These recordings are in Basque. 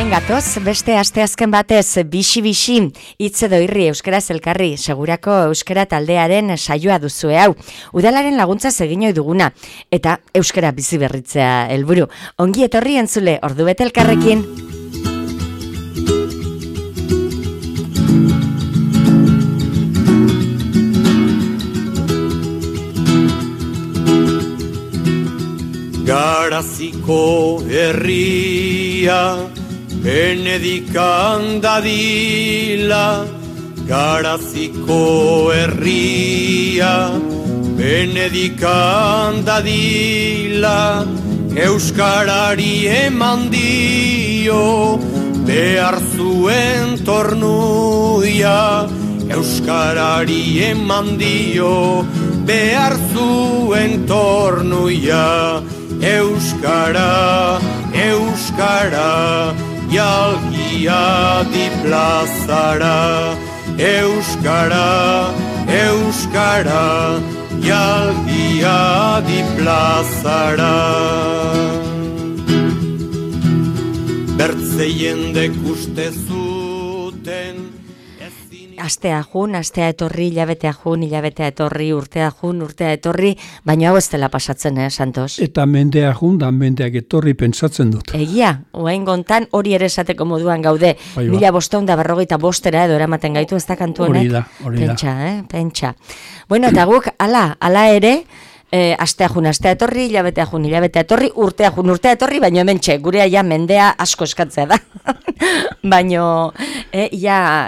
Hemen gatoz, beste asteazken batez, bixi-bixi, hitz edo irri euskaraz elkarri, segurako euskara taldearen saioa duzue hau. Udalaren laguntza egin ohi duguna, eta euskara bizi berritzea helburu. Ongi etorri entzule, ordubete elkarrekin. Garaziko herria Benedikan dadila, Garaziko herria Benedikan dadila, euskarari eman dio behar zuen tornuia, euskarari eman dio behar zuen tornuia. Euskara, euskara, jalgia di plazara. Euskara, euskara, jalgia di plazara. Bertze jendek uste zuten. Astea jun, astea etorri, hilabetea jun, hilabetea etorri, urtea jun, urtea etorri, baina hau ez dela pasatzen, Santos? Eta mendea jun, da mendeak etorri pentsatzen dut. Egia, oain gontan hori ere esateko moduan gaude, 1545 edo eramaten gaitu, ez da kantu honek? Hori da. Pentsa, pentsa. Bueno, eta guk, ala ere, astea jun, astea etorri, hilabetea jun, hilabetea etorri, urtea jun, urtea etorri, baina hemen gurea ja mendea asko eskatzea da. Baino,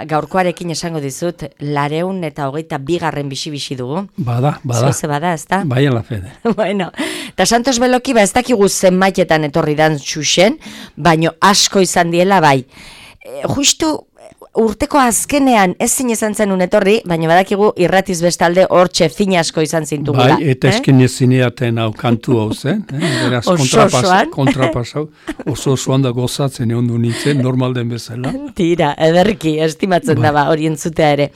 gaurkoarekin esango dizut, 222 bizi dugu. Bada. Zoze bada, ez da? Bai, ala fede. Bueno, eta Santos Beloki, ez dakigu zenbaitetan etorri dan xuxen, baino asko izan diela bai. Justu urteko azkenean ezin izan zenun etorri, baina badakigu irratiz bestalde hortxe fina asko izan zintugula. Bai, eta esken ezineaten hau kantu hau zen. Beraz, kontrapasau. Oso-osoan da gozatzen egon du nintzen, normal den bezala. Tira, ederki, estimatzen da hori entzutea ere.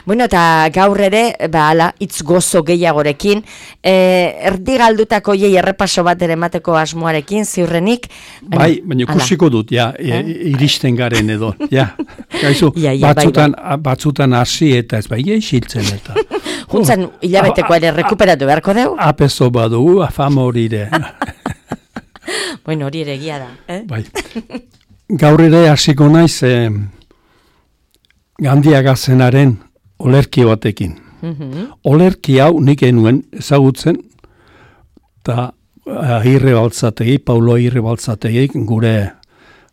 Bueno, eta gaur ere, hitz gozo gehiagorekin, erdi galdutako errepaso bat ere emateko asmoarekin, ziurrenik. Bai, baina ikusiko dut, iristen garen edo, gaizu. Batzutan hasi eta ez bai isiltzen eta. Juntzan hilabeteko ere rekuperatu beharko dugu? Apezo badugu, afama hori ere. Bueno, hori ere egia da. Bai. Gaur ere hasiko naiz Gandiaga zenaren olerki batekin. Olerki hau nik enuen ezagutzen, eta Paulo Agirre Baltzategi, gure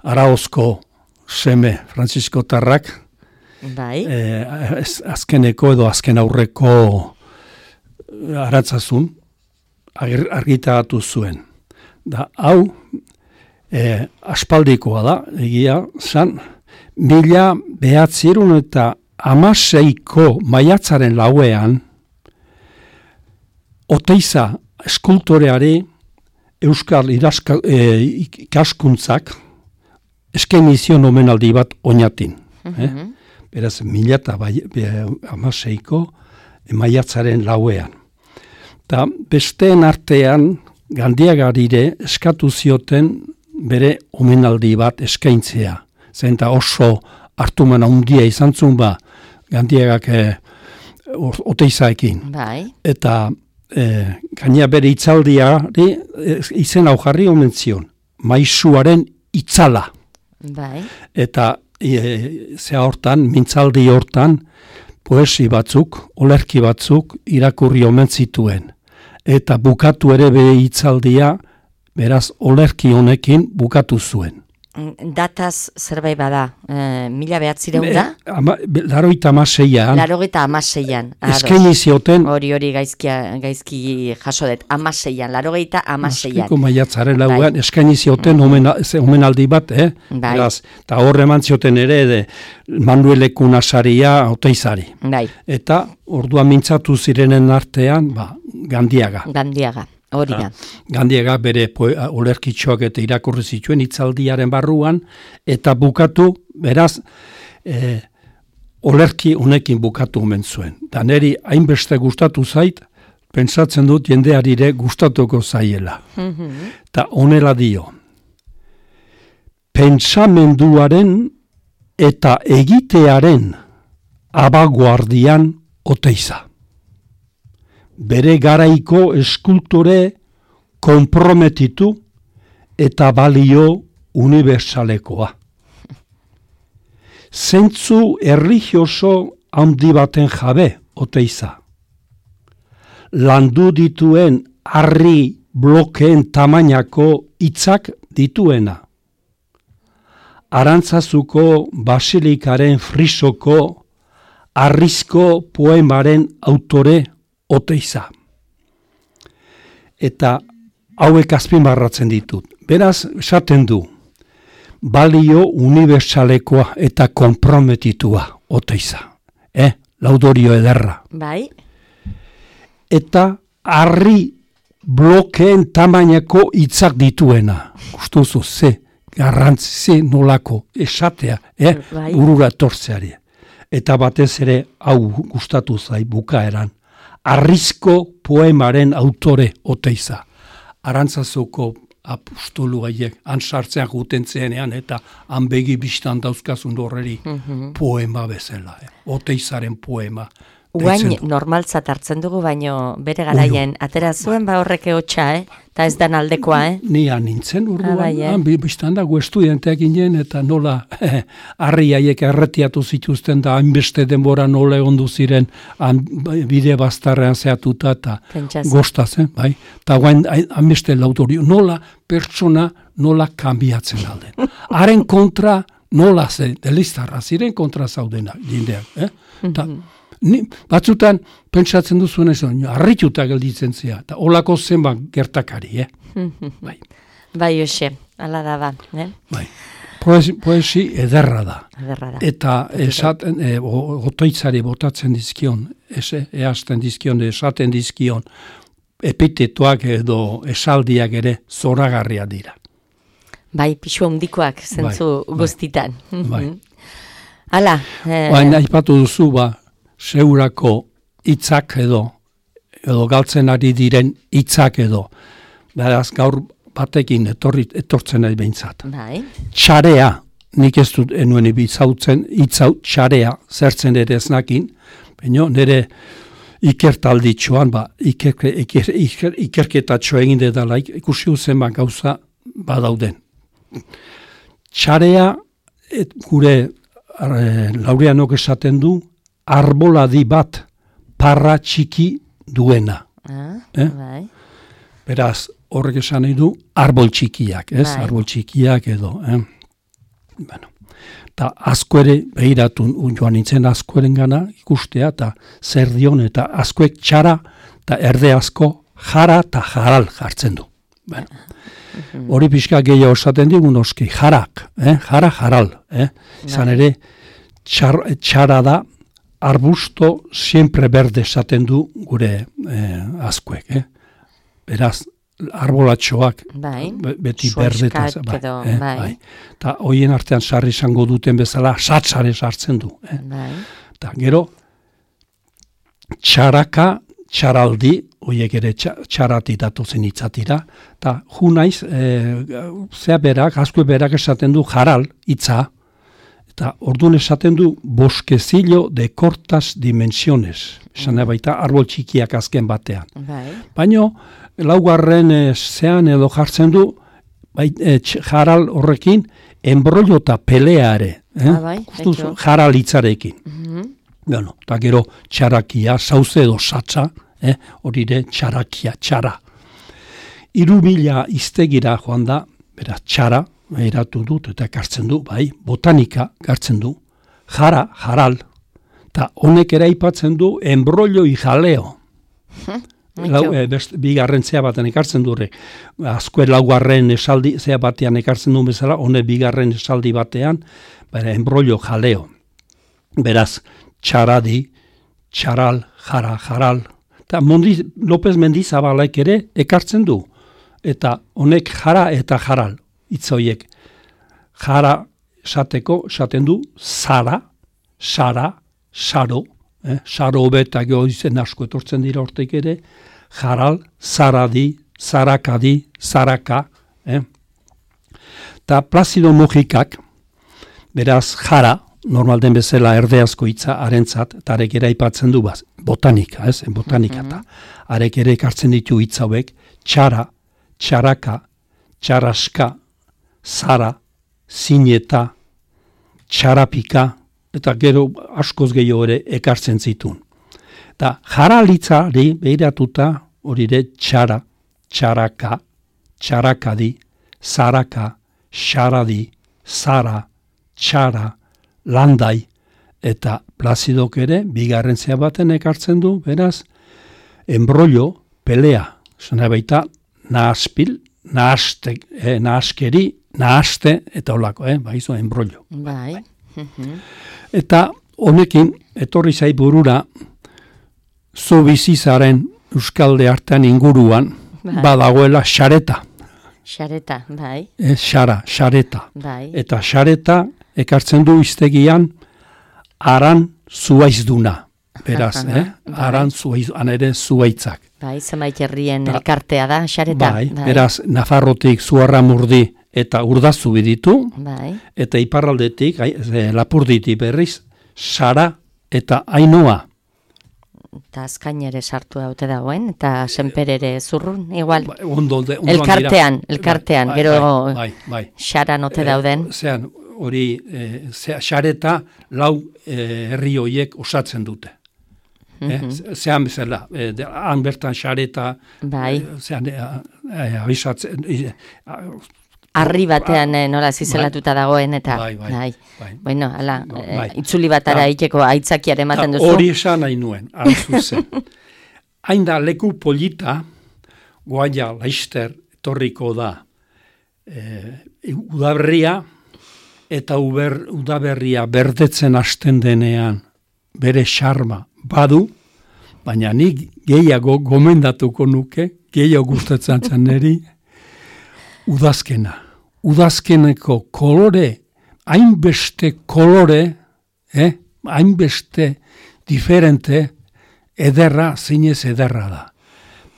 Araozko seme Francisco Tarrak, bai. Azkeneko edo azken aurreko aratzazun argitaratu zuen. Da, hau aspaldikoa da, egia zan, 1916ko maiatzaren lauean Oteiza eskultoreari Euskal ikaskuntzak eskainizion omenaldi bat oinatin. Beraz, 1916ko maiatzaren lauean. Ta besteen artean Gandiagarire eskatu zioten bere omenaldi bat eskaintzea. Zenta oso hartuman handia izan zuen Gandiagak Oteizaekin. Bai. Eta gaina bere itzaldiari izen hau jarri omen zion. Maisuaren itzala. Bai. Eta hortan, mintzaldi hortan, poesi batzuk, olerki batzuk irakurri omen zituen. Eta bukatu ere bere hitzaldia, beraz, olerki honekin bukatu zuen. Dataz zerbait bada, 1900 da? 86an. 86an. Eskaini zioten. Hori gaizki jaso dut, 86an, 86an. Azkiko maiatzaren lauan, eskaini zioten omenaldi bat, beraz, eta horre eman zioten ere, Manuelekun asaria Oteizari. Bai. Eta orduan mintzatu zirenen artean, Gandiaga. Hori da. Gandiaga bere olerkitxoak eta irakurri zituen hitzaldiaren barruan, eta bukatu, beraz, olerki honekin bukatu omen zuen. Da neri hainbeste gustatu zait, pentsatzen dut jendearire gustatuko zaiela. Eta honela dio. pentsamenduaren eta egitearen abaguardian Oteiza. Bere garaiko eskultore konprometitu eta balio universalekoa. Zentzu erlijioso handi baten jabe Oteiza. Landu dituen harri blokeen tamainako hitzak dituena. Arantzazuko basilikaren frisoko harrizko poemaren autore Oteiza. Eta hauek azpimarratzen ditut. Beraz, esaten du, balio universalekoa eta konprometitua Oteiza. Laudorio ederra. Bai. Eta harri blokeen tamainako hitzak dituena. Gustuzu, garrantzi nolako esatea, Bai. burura etortzeari. Eta batez ere, hau gustatu zai bukaeran, harrizko poemaren autore Oteiza. Arantzazuko apostolu gaiek, han sartzean jutentzenean, eta han begi bistan dauzkazun horreri poema bezala. Oteizaren poema. Uain normaltzat hartzen dugu, baino bere garaien atera zuen horreke hotxa, eta ez dan aldekoa, Nia nintzen urduan, bai, biztan dago estudianteak ginen, eta nola harri haiek erretiatu zituzten da, hainbeste denbora nola egondu ziren, bide bastarrean zehatuta, eta gostazen, bai? Eta guain hainbeste laudorio, nola pertsona nola kanbiatzen alden. Haren kontra nola ze, deliztarra ziren kontra zaudena, jindeak, batzutan pentsatzen duzuen ez, harrituta gelditzen zea, eta olako zenbat gertakari, Bai. Bai, Jose, ala da ba, Bai. Poesi ederra da. Eta esaten, Oteitzari botatzen dizkion, easten dizkion, esaten dizkion, epitetoak edo esaldiak ere zoragarria dira. Bai, pixu handikoak zentzu guztitan. Bai. Hala. Baina aipatu duzu, seurako hitzak edo galtzen ari diren hitzak edo. Beraz, gaur batekin etortzen nahi behintzat. Bai. Txarea, nik ez dut enuen ibizautzen, hitzau txarea zertzen ere eznakin, baina nire ikertalditxoan, ikerketatxo egin dedala, ikusi uzen gauza badauden. Txarea, gure Laureanok esaten du, arboladi bat parra txiki duena. Bai. Beraz, horrek esan nahi du, arbol txikiak, ez? Bai. Arbol txikiak edo. Bueno, eta asko ere, behiratu joan nintzen askoren gana ikustea, eta zer dion, eta askoek txara, eta erde asko jara eta jaral jartzen du. Bueno, hori pixka gehiago esaten digun oski, jarak, jara jaral. Izan ere, txara da, arbusto siempre berde esaten du gure askoek. Beraz, arbolatxoak beti berde. Bai. Eta hoien artean sarri izango duten bezala, satsare sartzen du. Eta gero, txaraka, txaraldi, hoiek ere txarati datozen hitzatira, eta junaiz, asko berak esaten du jaral hitza, eta orduan esaten du bosquecillo de cortas dimensiones. Esan baita arbol txikiak azken batean. Baina, laugarren zean edo jartzen du, jaral horrekin, enbrollo eta peleare. Jaral hitzarekin. Bueno, eta gero txarakia, sauze edo satza, hori ere txarakia, txara. 3.000 iztegira joan da, beraz, txara, eratu dut eta kartzen du, botanika kartzen du, jara, jaral, eta honek ere aipatzen du enbrollo y jaleo. Bigarren zea baten ekartzen du horrek. Azkoe laugarren esaldi zea batean ekartzen du bezala, honek bigarren esaldi batean, enbrollo jaleo. Beraz, txaradi, txaral, jara, jaral. Eta López Mendizabalaik ere ekartzen du. Eta honek jara eta jaral. Itzoiek, jara esaten du, zara, sara, saro, saro hobeta gehoizen asko etortzen dira hortek ere, jaral, zaradi, zarakadi, zaraka. Eta Plazido Mujikak, beraz jara, normal den bezala erdeazko hitza harentzat, eta arek ere aipatzen du botanika, botanika, eta arek ere ekartzen ditu hitz hauek, txara, txaraka, txaraska, zara, zineta, txarapika, eta gero askoz gehiago ere ekartzen zitun. Eta jaralitzari behiratuta hori ere txara, txaraka, txarakadi, zaraka, xaradi, zara, txara, landai, eta Plazidok ere, bigarren zea baten ekartzen du, beraz, enbrollo, pelea, zena baita, nahaspil, nahaskeri, nahaste, eta holako, baizu, enbrollo. Bai. Eta honekin, etorri zai burura, zu bizizaren Euskalde artean inguruan, badagoela xareta. Xareta, bai. Xareta. Bai. Eta xareta ekartzen du iztegian aran zuaizduna. Beraz, aran zuaizduna, ere zuaitzak. Bai, zenbait herrien elkartea da, xareta. Bai, beraz, Nafarrotik Zuarramurdi eta Urdazu biditu, bai. Eta iparraldetik, Lapurditi berriz, Sara eta Ainoa. Eta azkain ere sartu daute dagoen, eta senper ere zurrun, igual. Ondo elkartean, bai, gero bai. xara note dauden. Zean, hori, xareta lau herri hoiek osatzen dute. Zean bezala, han bertan xareta, bai. Zean, abisatzen, Arri batean nola zizelatuta dagoen, eta bai. Bueno, ala, itzuli batara iteko aitzakiare ematen duzu. Hori esan nahi nuen, zuzen. Hain da leku polita, Goaia, Laister, etorriko da, udaberria, eta udaberria berdetzen hasten denean bere xarma badu, baina nik gehiago gomendatuko nuke, gehiago gustatzen zaneri, udazkeneko kolore, hainbeste kolore, hainbeste diferente, ederra, zinez ederra da.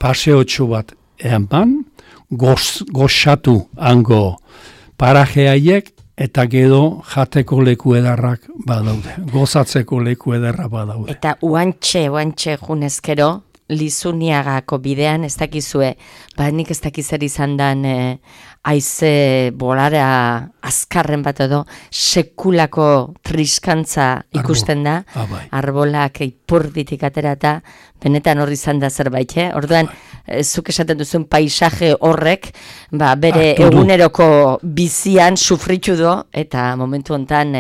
Paseotxo bat eman, goxatu hango parajeaiek, eta gero jateko leku edarrak badaude, gozatzeko leku edarra badaude. Eta uantxe junezkero, Lizuniagako bidean ez dakizue, nik ez dakizer izan dan haize bolara azkarren bat edo sekulako triskantza ikusten da, arbolak ipurditik aterata, benetan horri izan da zerbait, Orduan, zuk esaten duzuen paisaje horrek, bere eguneroko bizian sufritu do, eta momentu hontan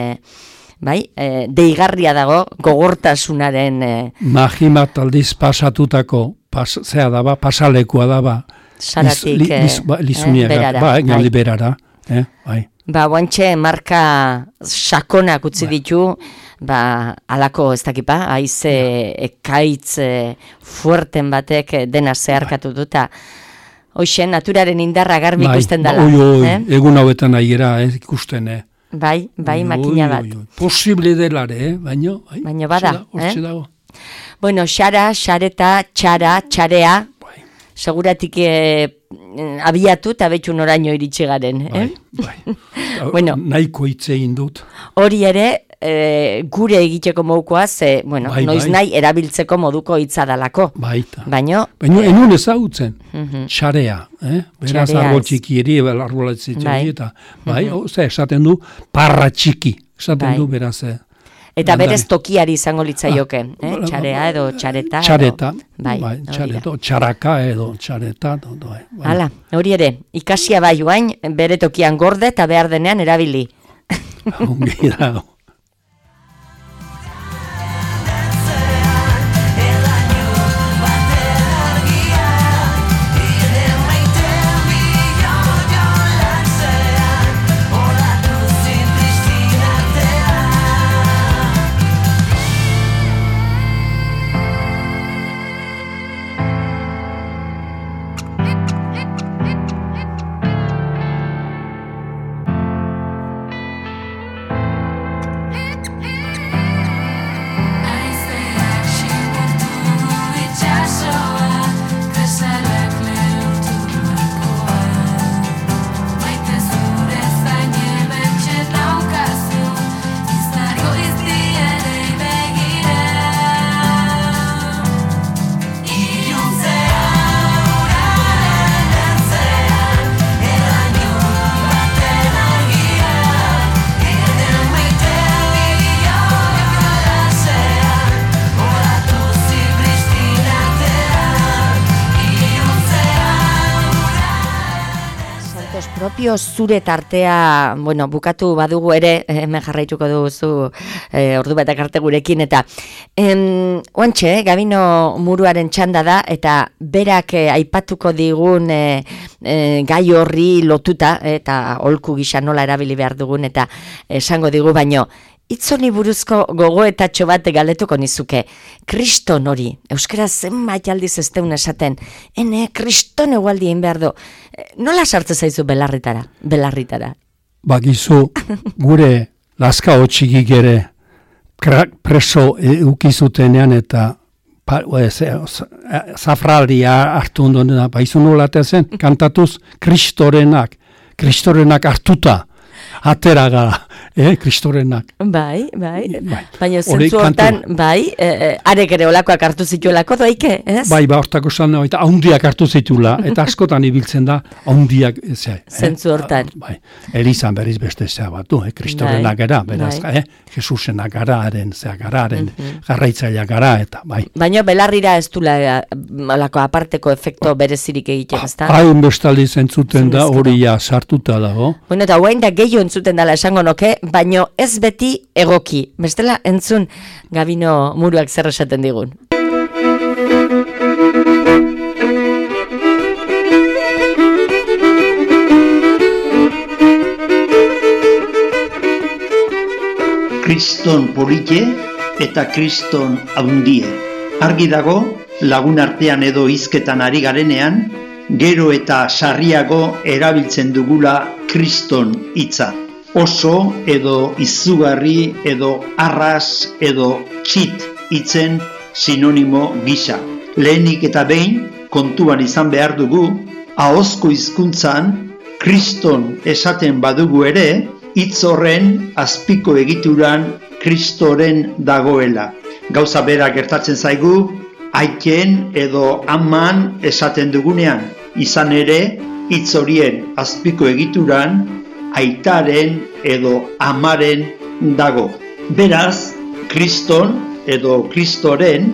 deigarria dago gogortasunaren Mahimat aldiz pasatutako pasalekua daba Saratik Lizuniaga, berara. Guantxe marka sakonak utzi ditu, alako ez dakipa, haize ekaitz fuerten batek dena zeharkatu duta. Hoxe, naturaren indarra garbi ikusten dela. Egun hauetan aiera ikusten, Bai, makina bat. Posible delare, baino bada. Hortxe dago. Bueno, xareta, txarea, seguratik abiatu eta betxu noraino iritsi garen. Bueno, nahiko hitz egin dut. Hori ere, gure egiteko modukoaz, noiz nahi erabiltzeko moduko hitza dalako. Baina enun ezagutzen, txarea, beraz arbol txiki eri, arbolatzen eta, esaten du, parra txiki, esaten du beraz. Eta berez tokiari izango litzaioke, txarea edo txareta. Txareta, txaraka edo txareta. Hala, hori ere, ikasia bai joain, bere tokian gorde eta behar denean erabili. Ongi dago. principio zure tartea, bueno, bukatu badugu ere, hemen jarraituko duzu ordu batak arte gurekin, eta oantxe, Gabino Muruaren txanda da, eta berak aipatuko digun gai horri lotuta, eta holku gisa nola erabili behar dugun, eta esango digu baino, Itzoni buruzko gogoetatxo bat galetuko nizuke. Kriston hori, euskaraz zenbait aldiz ez deun esaten, kriston egualdi egin behar du. Nola sartze zaizu belarritara? Bagizu, gure laska hotxikik ere preso ukizutenean eta zafralia hartu ondonena, baizu nola zen, kantatuz, kristorenak hartuta. Atera gara, kristorenak. Bai. Baina zentzu hortan, arek ere olakoak hartu zituelako doike, ez? Bai, hortako zan, eta haundiak hartu zituela, eta askotan ibiltzen da, haundiak, zentzu hortan. Bai, Elizan berriz beste zea batu, kristorenak gara, beraz, Jesusenak gara, haren garraitzailea gara, eta bai. Baina belarrira ez du olako aparteko efekto berezirik egiten, ez da? Hain bestaldi zentzuten da, hori sartuta dago. Bueno, eta guain da gehiago entzuten dela esango noke, baino ez beti egoki. Bestela entzun Gabino Muruak zer esaten digun. Kriston polite eta kriston haundie. Argi dago, lagun artean edo hizketan ari garenean, gero eta sarriago erabiltzen dugula kriston hitza. Oso edo izugarri edo arras edo txit hitzen sinonimo gisa. Lehenik eta behin kontuan izan behar dugu, ahozko hizkuntzan kriston esaten badugu ere, hitz horren azpiko egituran kristoren dagoela. Gauza bera gertatzen zaigu, aiken edo aman esaten dugunean, izan ere, hitz horien azpiko egituran, aitaren edo amaren dago. Beraz, kriston edo kristoren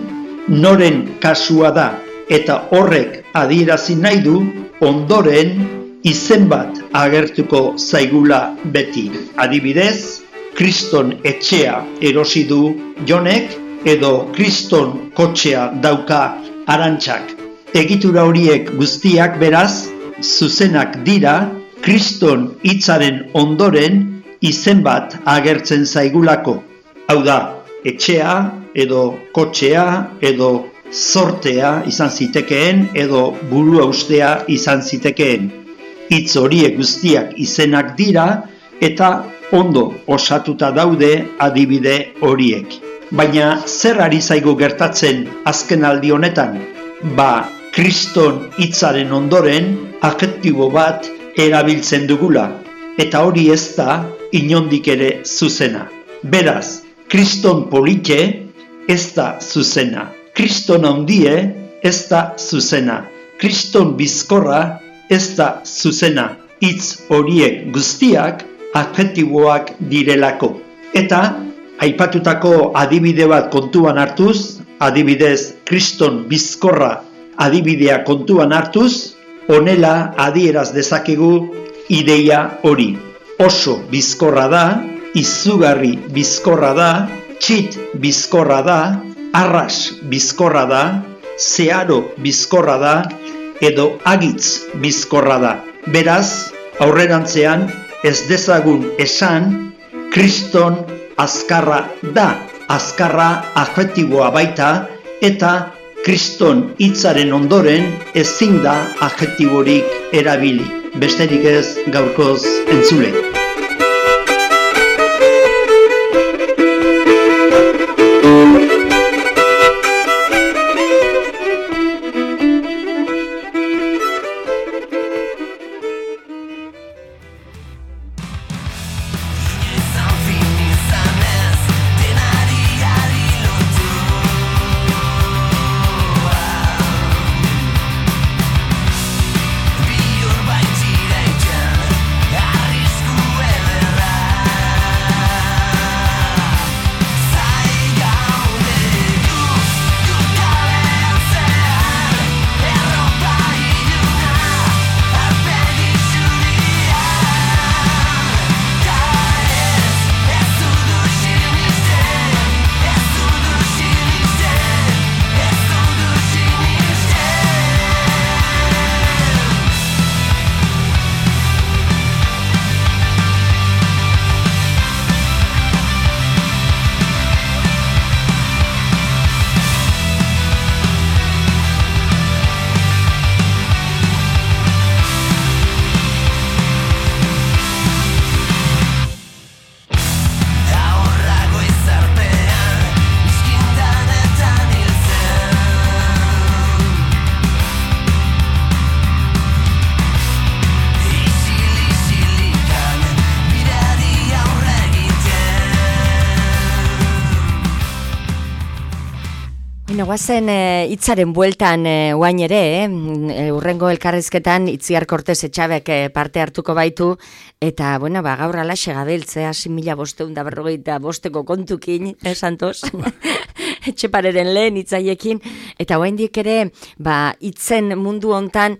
noren kasua da, eta horrek adierazi nahi du ondoren izen bat agertuko zaigula beti. Adibidez, kriston etxea erosi du Jonek, edo kriston kotxea dauka Arantxak. Egitura horiek guztiak beraz, zuzenak dira, kriston hitzaren ondoren izen bat agertzen zaigulako. Hau da, etxea, edo kotxea, edo zortea izan zitekeen, edo burua ustea izan zitekeen. Hitz horiek guztiak izenak dira, eta ondo osatuta daude adibide horiek. Baina zer ari zaigu gertatzen azken aldi honetan? Kriston hitzaren ondoren adjektibo bat erabiltzen dugula, eta hori ez da inondik ere zuzena. Beraz, kriston polite ez da zuzena, kriston handie ez da zuzena, kriston bizkorra ez da zuzena, hitz horiek guztiak adjektiboak direlako. Eta aipatutako adibide bat kontuan hartuz, adibidez kriston bizkorra adibidea kontuan hartuz, honela adieraz dezakegu ideia hori. Oso bizkorra da, izugarri bizkorra da, txit bizkorra da, arras bizkorra da, zeharo bizkorra da, edo agitz bizkorra da. Beraz, aurrerantzean ez dezagun esan, kriston azkarra da, azkarra adjektiboa baita, eta kriston hitzaren ondoren ezin da adjektiborik erabili. Besterik ez gaurkoz entzule. Arrisku Bueno, guazen hitzaren bueltan guain ere, urrengo elkarrizketan Itziar Kortez Etxabek parte hartuko baitu, eta, bueno, gaur alaxe gabiltzea, 6.545 kontukin, Santos? Etxepareren lehen hitzaiekin, eta oraindik ere, hitzen mundu hontan,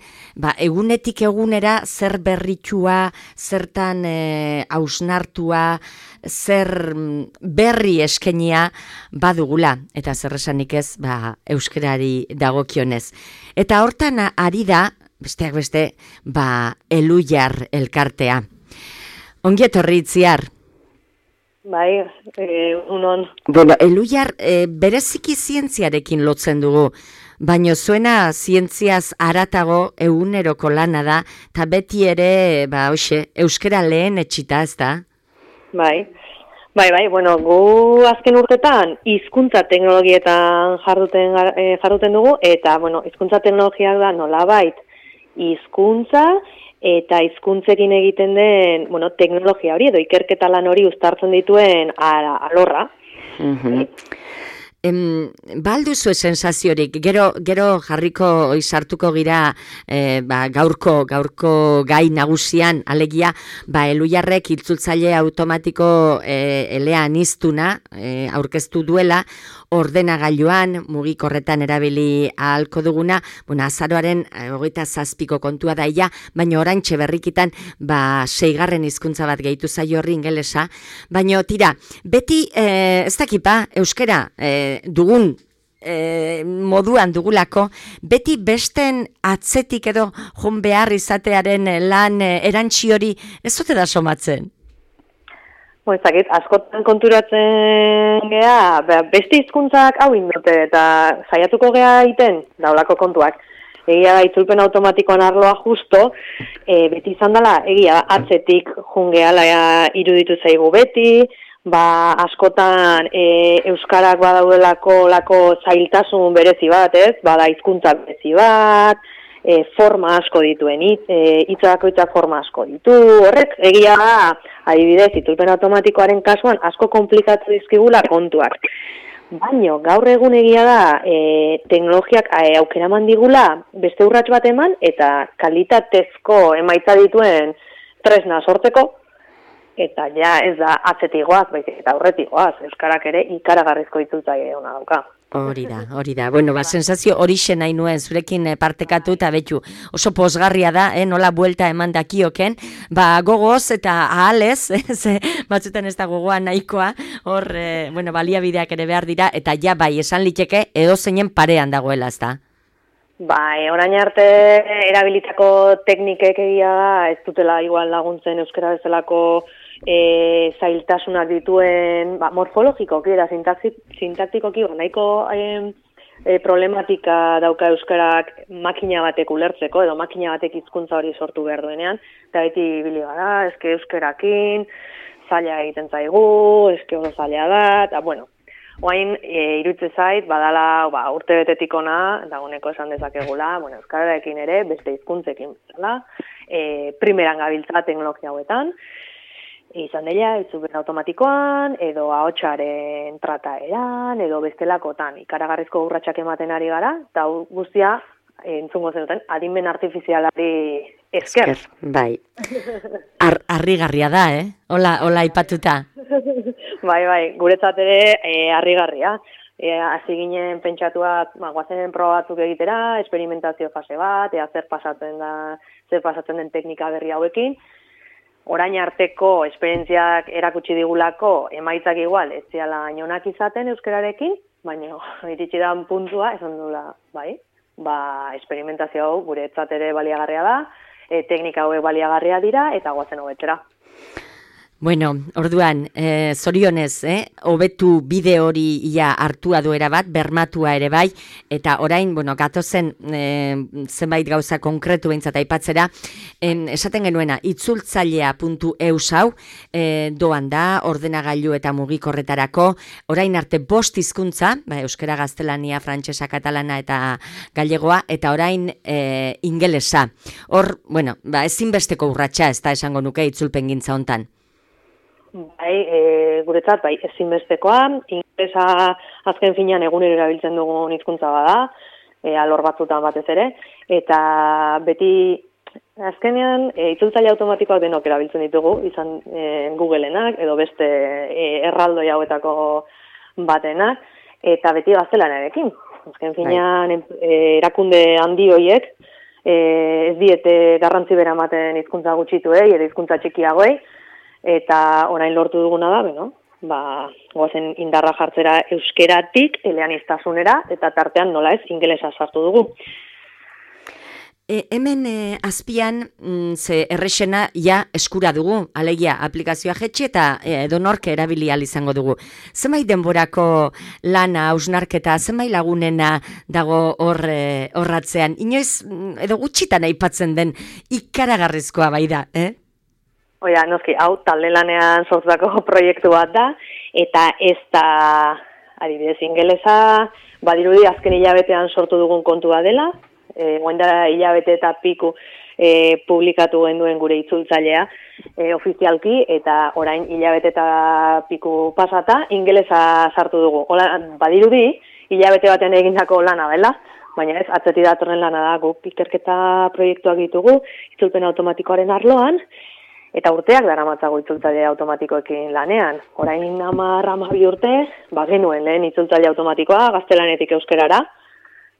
egunetik egunera zer berritua, zertan hausnartua, zer berri eskenia badugula, eta zer esanik ez, euskarari dagokionez. Eta hortan ari da, besteak beste, Elujar elkartea. Ongi etorri Itziar. Bai, unon. Bueno, Elujar bereziki zientziarekin lotzen dugu, baina zuena zientziaz haratago eguneroko lana da, eta beti ere, euskara lehen etxita, ez da? Bai, bueno, gu azken urtetan hizkuntza teknologietan jarduten dugu, eta, bueno, hizkuntza teknologiak da nolabait hizkuntza eta hizkuntzekin egiten den, bueno, teknologia hori edo ikerketa lan hori uztartzen dituen alorra. Balduzu sensaziorik, gero jarriko sartuko gira gaurko gai nagusian, alegia, Elujarrek itzultzaile automatiko elean iztuna aurkeztu duela, ordenagailuan, mugikorretan erabili ahalko duguna, azaroaren 27ko kontua daia, baina oraintxe berrikitan 6. hizkuntza bat gehitu zaio horri ingelesa, baina tira, beti, ez dakipa, euskara dugun moduan dugulako, beti besten atzetik edo joan behar izatearen lan erantzi hori ez dute da somatzen? Ezakit, askotan konturatzen gea, beste hizkuntzak hau indute eta saiatuko gea egiten daulako kontuak. Egia itzulpen automatikoan arloa justo, beti izan dela, egia atzetik jungeala iruditu zaigu beti, askotan euskarak badaudelako zailtasun berezi bat, ez? Bada hizkuntza berezi bat, forma asko dituen, hitzako forma asko ditu, horrek egia da, adibidez, itzulpen automatikoaren kasuan asko komplikatu dizkigula kontuak. Baina gaur egun egia da, teknologiak aukera eman digula beste urrats bat eman, eta kalitatezko emaitza dituen tresna sortzeko, eta ja ez da atzetik goaz, baizik eta aurretik goaz, euskarak ere ikaragarrizko itzultzaile ona dauka. Hori da. Bueno, sensazio horixe nahi nuen, zurekin partekatu eta betu oso pozgarria da, nola buelta eman dakioken, gogoz eta ahalez, batzutan ez da gogoa nahikoa, hor, baliabideak ere behar dira, eta ja esan liteke edo zeinen parean dagoela, ez da? Orain arte erabilitako teknikek egia da, ez dutela igual laguntzen euskara bezalako zailtasunak dituen, morfologikoki eta sintaktikoki nahiko problematika dauka euskarak makina batek ulertzeko, edo makina batek hizkuntza hori sortu behar duenean, eta beti ibili gara, eske euskarakin, zaila egiten zaigu, eske oso zaila da, eta bueno, oain irutze zait, badala urte betetik ona, dagoeneko esan dezakegula, euskararekin ere, beste hizkuntzekin bezala, primeran gabiltza teknologia hauetan, izan dela, itzulpen automatikoan, edo ahotsaren trataeran, edo bestelakotan, ikaragarrizko urratsak ematen ari gara, eta guztia, entzungo zenuten, adimen artifizialari esker. Bai. Harrigarria da, Hola aipatuta. Bai, guretzat ere harrigarria. Hasi ginen pentsatua, guazen proba batzuk egitera, esperimentazio fase bat, zer pasatzen den teknika berri hauekin. Orain arteko esperientziak erakutsi digulako emaitzak igual, ez ziala inonak izaten euskararekin, baina iritsi da puntua, esan dula, esperimentazio hau guretzat ere baliagarria da, teknika hauek baliagarria dira, eta guazen hobetzera. Bueno, orduan, zorionez, hobetu bide hori ia hartua duera bat, bermatua ere bai, eta orain, gatozen zenbait gauza konkretu behintzat aipatzera, esaten genuena, itzultzailea.eus hau, doan da, ordenagailu eta mugikorretarako, orain arte 5 hizkuntza, euskara, gaztelania, frantsesa, katalana eta gallegoa, eta orain ingelesa. Hor, ezinbesteko urratsa, ez da esango nuke itzulpengintza hontan. guretzat, ezinbestekoa, ingelesa azken finean egunero erabiltzen dugun hizkuntza bada, alor batzutan batez ere, eta beti azkenean itzultzaile automatikoak denok erabiltzen ditugu, izan Googleenak edo beste erraldoi hauetako batenak, eta beti gaztelaniarekin. Azken finean erakunde handi horiek ez diete garrantzi bera ematen hizkuntza gutxituei edo hizkuntza txikiagoei, eta orain lortu duguna da, goazen indarra jartzera euskeratik eleaniztasunera, eta tartean nola ez ingelesa sartu dugu. Hemen azpian ze errexena ja eskura dugu, alegia aplikazioa jetxe eta edonork erabili ahal izango dugu. Zenbait denborako lana, hausnarketa, zenbait lagunena dago horratzean, inoiz edo gutxitan aipatzen den ikaragarrizkoa bai da, Oia, noski, hau talde lanean sortutako proiektu bat da, eta ez da, adibidez, ingelesa, badirudi azken hilabetean sortu dugun kontua dela, guaindara hilabete eta piku publikatu genduen gure itzultzailea ofizialki, eta orain hilabete eta piku pasata, ingelesa sartu dugu. Ola, badirudi, hilabete batean egindako lana dela, baina ez, atzetik datorren lana da, guk ikerketa proiektuak ditugu, itzulpen automatikoaren arloan, eta urteak daramatzago itzultzaile automatikoekin lanean. Orain 10-12 urte, genuen lehen itzultzaile automatikoa, gaztelanetik euskerara,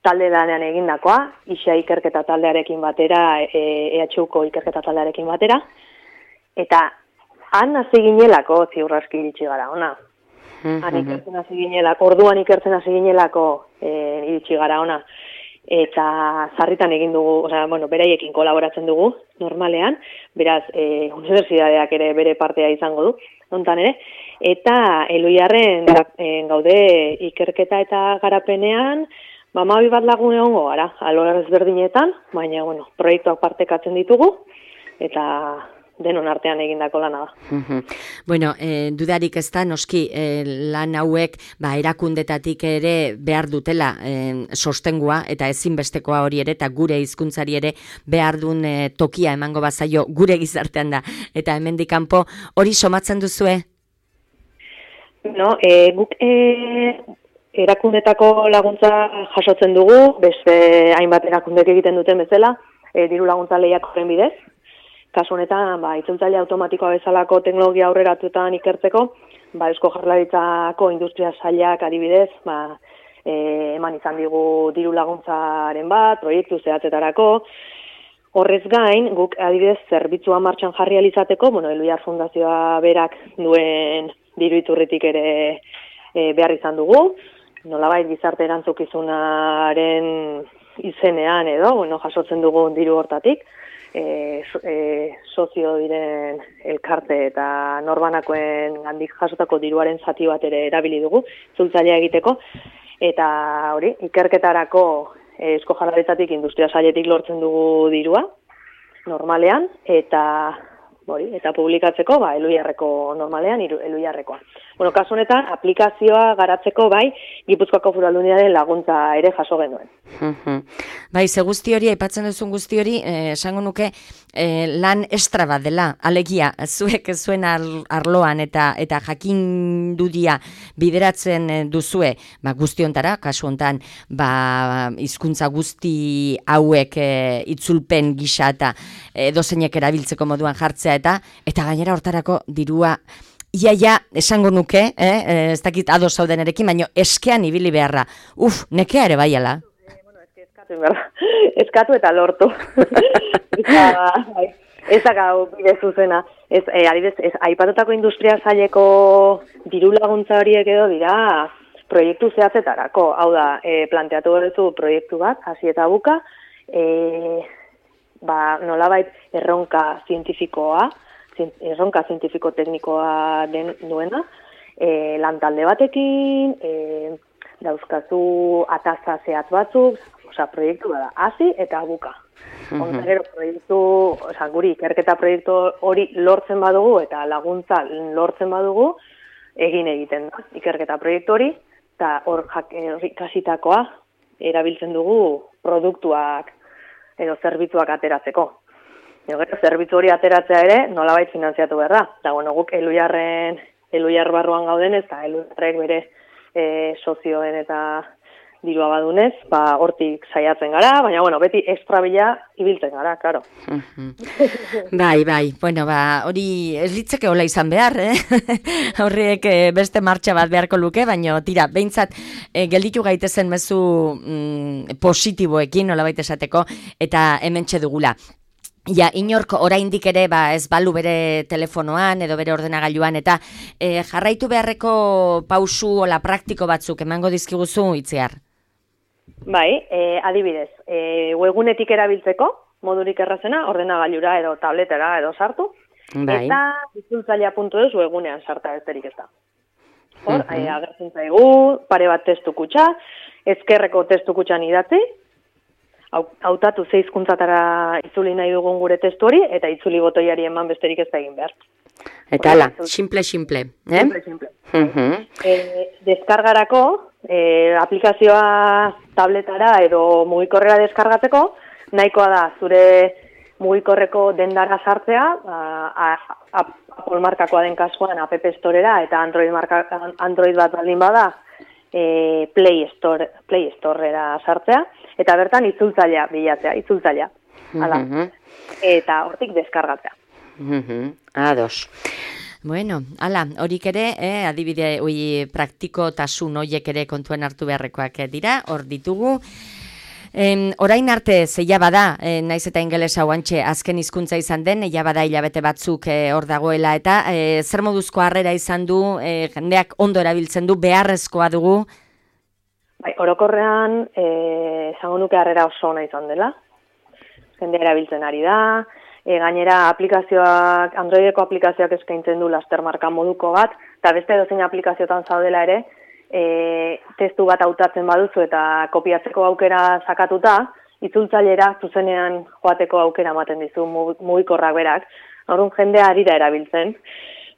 talde lanean egindakoa, ISA ikerketa taldearekin batera, EHUko ikerketa taldearekin batera, eta han hasi ginelako ziurraski iritsi gara, ona. Orduan ikertzen hasi ginelako iritsi gara, ona. Eta sarritan egin dugu, beraiekin kolaboratzen dugu, normalean, beraz, unibertsitateak ere bere partea izango du, hontan ere, eta Eluiarren gaude ikerketa eta garapenean, 12 bat lagun egongo gara, alor ezberdinetan, baina, proiektuak partekatzen ditugu, eta denon artean egindako lana da. Dudarik ez da, noski lan hauek erakundetatik ere behar dutela sostengua eta ezinbestekoa hori ere, eta gure hizkuntzari ere behar duen tokia emango bazaio gure gizartean da. Eta hemendik kanpo hori somatzen duzue? Guk erakundetako laguntza jasotzen dugu, beste hainbat erakundek egiten duten bezala, diru laguntza lehiakoren bidez. Kasu honetan, itzultzaile automatikoa bezalako teknologia aurreratuetan ikertzeko, Eusko Jaurlaritzako industria sailak adibidez, eman izan digu diru laguntzaren bat, proiektu zehatzetarako. Horrez gain, guk adibidez zerbitzua martxan jarri alizateko, Eluiar Fundazioa berak duen diru iturritik ere behar izan dugu, nolabait gizarte erantzukizunaren izenean edo, jasotzen dugu diru hortatik, sozio diren elkarte eta norbanakoen handik jasotako diruaren zati bat ere erabili dugu, itzultzailea egiteko, eta hori, ikerketarako Eusko Jaurlaritzatik industria sailetik lortzen dugu dirua, normalean, eta publikatzeko, Eluiarreko normalean, Eluiarrekoa. Kasu honetan, aplikazioa garatzeko Gipuzkoako Foru Aldundiaren laguntza ere jaso genuen. Ze guzti hori, aipatzen duzun guzti hori, esango nuke lan estra bat dela, alegia, zuek zuen arloan eta jakinduria bideratzen duzue, guzti hontara, kasu hontan, hizkuntza guzti hauek itzulpen gisa eta dozeinek erabiltzeko moduan jartzea eta gainera hortarako dirua iaia esango nuke, ez dakit ados zaudenerekin, baina eskean ibili beharra. Nekea ere baiala. Eskatu eta lortu. Ez gau bide zuzena. Aipatutako industria saileko diru laguntza horiek edo dira proiektu zehatzetarako. Hau da, planteatu duzu proiektu bat, hasi eta buka, nolabait erronka zientifiko-teknikoa duena, lantalde batekin, dauzkazu ataza zehatz batzuk, proiektu da, hasi eta buka. Gero proiektu, guri ikerketa proiektu hori lortzen badugu eta laguntza lortzen badugu, egiten da ikerketa proiektu hori, eta hor ikasitakoa erabiltzen dugu produktuak edo zerbitzuak ateratzeko. Gero, zerbitzu hori ateratzea ere, nolabait finantziatu behar da. Eta, bueno, guk Eluiar barruan gaudenez, eta Eluiarrek bere sozioen eta dirua badunez, hortik saiatzen gara, baina, bueno, beti estrabila ibiltzen gara, karo. Bai, bueno, hori ez litzeke hola izan behar, Horriek beste martxa bat beharko luke, baina tira, behintzat gelditu gaitezen mezu positiboekin, nolabait esateko, eta hementxe dugula. Ja, inork oraindik ere ez balu bere telefonoan edo bere ordenagailuan eta jarraitu beharreko pausu ola praktiko batzuk emango dizkiguzu Itziar. Bai, adibidez, webgunetik erabiltzeko, modurik errazena, ordenagailura edo tabletera edo sartu, eta itzultzailea.eus webgunean sarta besterik ez da. Hor, agertzen zaigu, pare bat testu kutxa, ezkerreko testu kutxan idatzi, hautatu 6 hizkuntzatara itzuli nahi dugun gure testu hori, eta itzuli botoiari eman besterik ez da egin behar. Eta hala, simple. Simple. Deskargarako, aplikazioa tabletara edo mugikorrera deskargatzeko, nahikoa da zure mugikorreko dendara sartzea, Apple markakoa den kasuan App Storera eta Android bat baldin bada Play Storera sartzea, eta bertan itzultzailea bilatzea, itzultzailea. Eta hortik deskargatzea. Ados. Bueno, horik ere, adibide praktikotasun horiek ere kontuen hartu beharrekoak dira, hor ditugu. Orain arte zeia bada, naiz eta ingelesa guantxe azken hizkuntza izan den, ja bada hilabete batzuk hor dagoela, eta zer moduzko harrera izan du, jendeak ondo erabiltzen du, beharrezkoa dugu? Bai, orokorrean, esango nuke harrera oso ona izan dela. Jendea erabiltzen ari da, gainera aplikazioak, Androideko aplikazioak eskaintzen du lastermarka moduko bat, eta beste edozein aplikazioetan zaudela ere, testu bat hautatzen baduzu eta kopiatzeko aukera sakatuta, itzultzailera zuzenean joateko aukera ematen dizu mugikorrak berak. Orduan jendea ari da erabiltzen.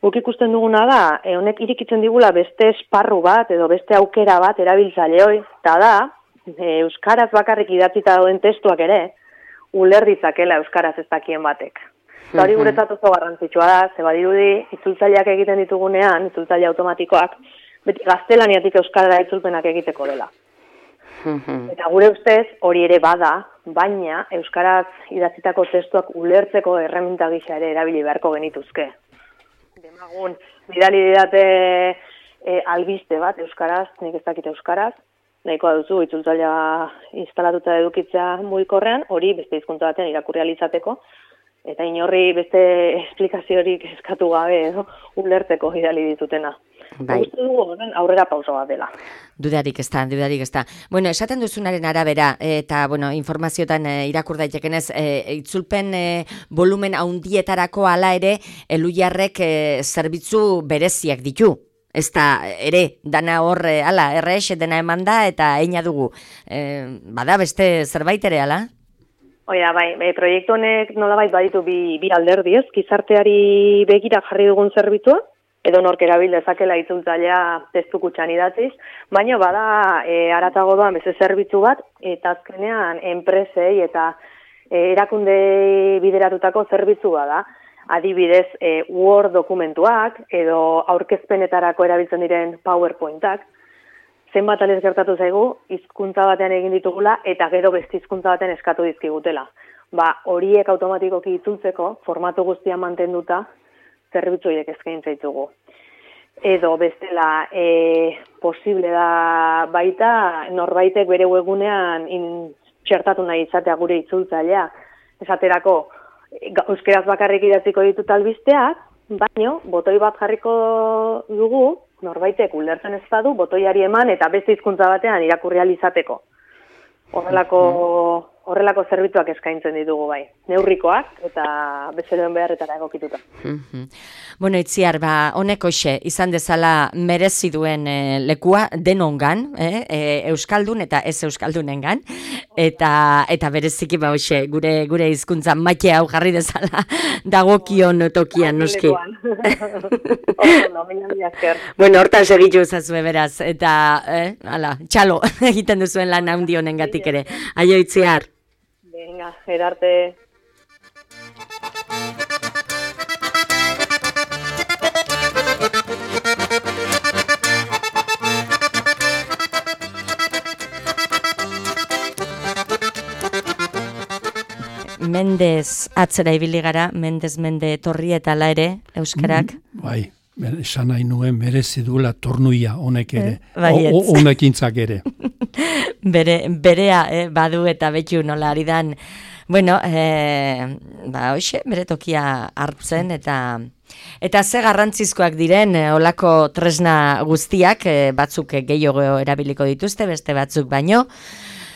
Guk ikusten duguna da, honek irikitzen digula beste esparru bat edo beste aukera bat erabiltzaileoi, eta da, euskaraz bakarrik idatzita dauden testuak ere, uler ditzakela euskaraz ez dakien batek. Eta hori guretzat oso garrantzitsua da, ze badirudi itzultzaileak egiten ditugunean, itzultzaile automatikoak, beti gaztelaniatik euskara itzulpenak egiteko dela. Eta gure ustez hori ere bada, baina euskaraz idatzitako testuak ulertzeko erreminta gisa ere erabili beharko genituzke. Demagun, bidali didate albiste bat euskaraz, nik ez dakit euskaraz, nahikoa duzu itzultzailea instalatuta edukitzea mugikorrean, hori beste hizkuntza batean irakurri ahal izateko, eta inorri beste esplikaziorik eskatu gabe edo ulertzeko bidali ditutena. Bai. Uste dugu horren aurrera pauso bat dela. Dudarik ez da. Bueno, esaten duzunaren arabera, eta bueno, informazioetan irakur daitekenez, itzulpen volumen handietarako hala ere, Eluiarrek zerbitzu bereziak ditu. Ez da, ere, dana hor, errex, dena eman da, eta eina dugu. Bada beste zerbait ere, ala? Oida, bai, proiektu honek nolabait baditu bi alderdi ez, gizarteari begira jarri dugun zerbitzua, edo nork erabil dezakela itzultzailea testu kutxan idatziz, baina bada haratago doan beste zerbitzu bat, eta azkenean enpresei eta erakunde bideratutako zerbitzu bada. Adibidez, Word dokumentuak edo aurkezpenetarako erabiltzen diren PowerPointak, zenbat alez gertatu zaigu, hizkuntza batean egin ditugula eta gero beste hizkuntza batean eskatu dizkigutela. Horiek automatikoki itzultzeko, formatu guztia mantenduta, zerbitzu horiek eskaintza ditugu. Edo bestela, posible da baita, norbaitek bere webgunean txertatu nahi izatea gure itzultzailea. Esaterako, euskeraz bakarrik idatziko ditut albisteak, baino, botoi bat jarriko dugu, norbaitek ulertzen ez badu, botoiari eman eta beste hizkuntza batean irakurri ahal izateko. Horrelako zerbitzuak eskaintzen ditugu bai. Neurrikoak eta bezeroen beharretara egokituta. Bueno, Itziar, honek hoxe, izan dezala merezi duen lekua denongan, euskaldun eta ez euskaldunengan, eta bereziki hoxe, gure hizkuntza maite hau jarri dezala dagokion tokian, noski. Bueno, hortan segitu ezazue beraz, eta txalo egiten duzuen lan handi honengatik ere. Aio, Itziar. Venga, erarte. mendez atzera ibili gara, mende etorri eta ala ere, euskarak. Bai, esan nahi nuen merezi duela tornuia honek ere, Baietz. honekintzak ere. Berea badu eta betu nola ari dan, bueno, hoxe, bere tokia hartzen eta ze garrantzizkoak diren olako tresna guztiak, batzuk gehiago erabiliko dituzte, beste batzuk baino,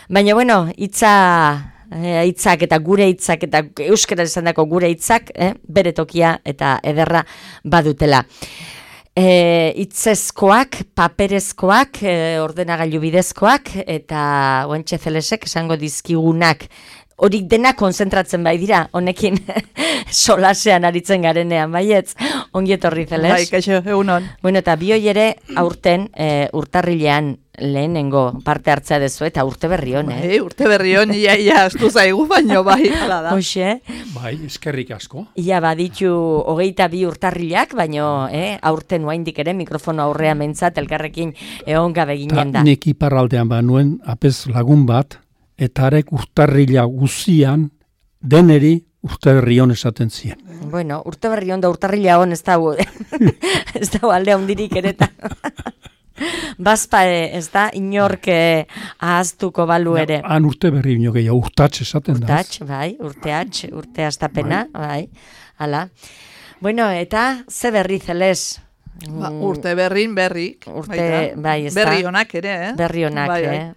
baina, bueno, hitzak eta gure hitzak eta euskara esandako gure hitzak, bere tokia eta ederra badutela. Hitzezkoak, paperezkoak, ordenagailu bidezkoak eta oentxe zelesek esango dizkigunak. Horik dena konzentratzen bai dira, honekin solasean aritzen garenean, baietz, ongi etorri Zeles. Bai, kaixo, egunon. Bueno, eta bioi ere aurten urtarrilean lehenengo parte hartzea dezu eta urte berri hon, Bai, urte berri hon, ia astu zaigu, baino bai, hala da. Hoxe. Bai, eskerrik asko. Ia baditu 22 urtarrilak, baino aurten oraindik ere mikrofono aurrean mentzat elkarrekin egon gabe ginen da. Nik iparraldean banuen apez lagun bat, eta arek urtarrila guzian deneri urte berri hon esaten zien. Bueno, urte berri hon da urtarrila hon ez dago, ez dago aldea hundirik ereta. Bazpa ez da, inork ahaztuko balu ere. Han urte berri ino gehiago, urtatx esaten da. Urtatx, bai, urte astapena, bai, hala. Bueno, eta ze berri Zeles? Urte berrin berrik. Bai, ez da. Berri honak ere, Berri honak,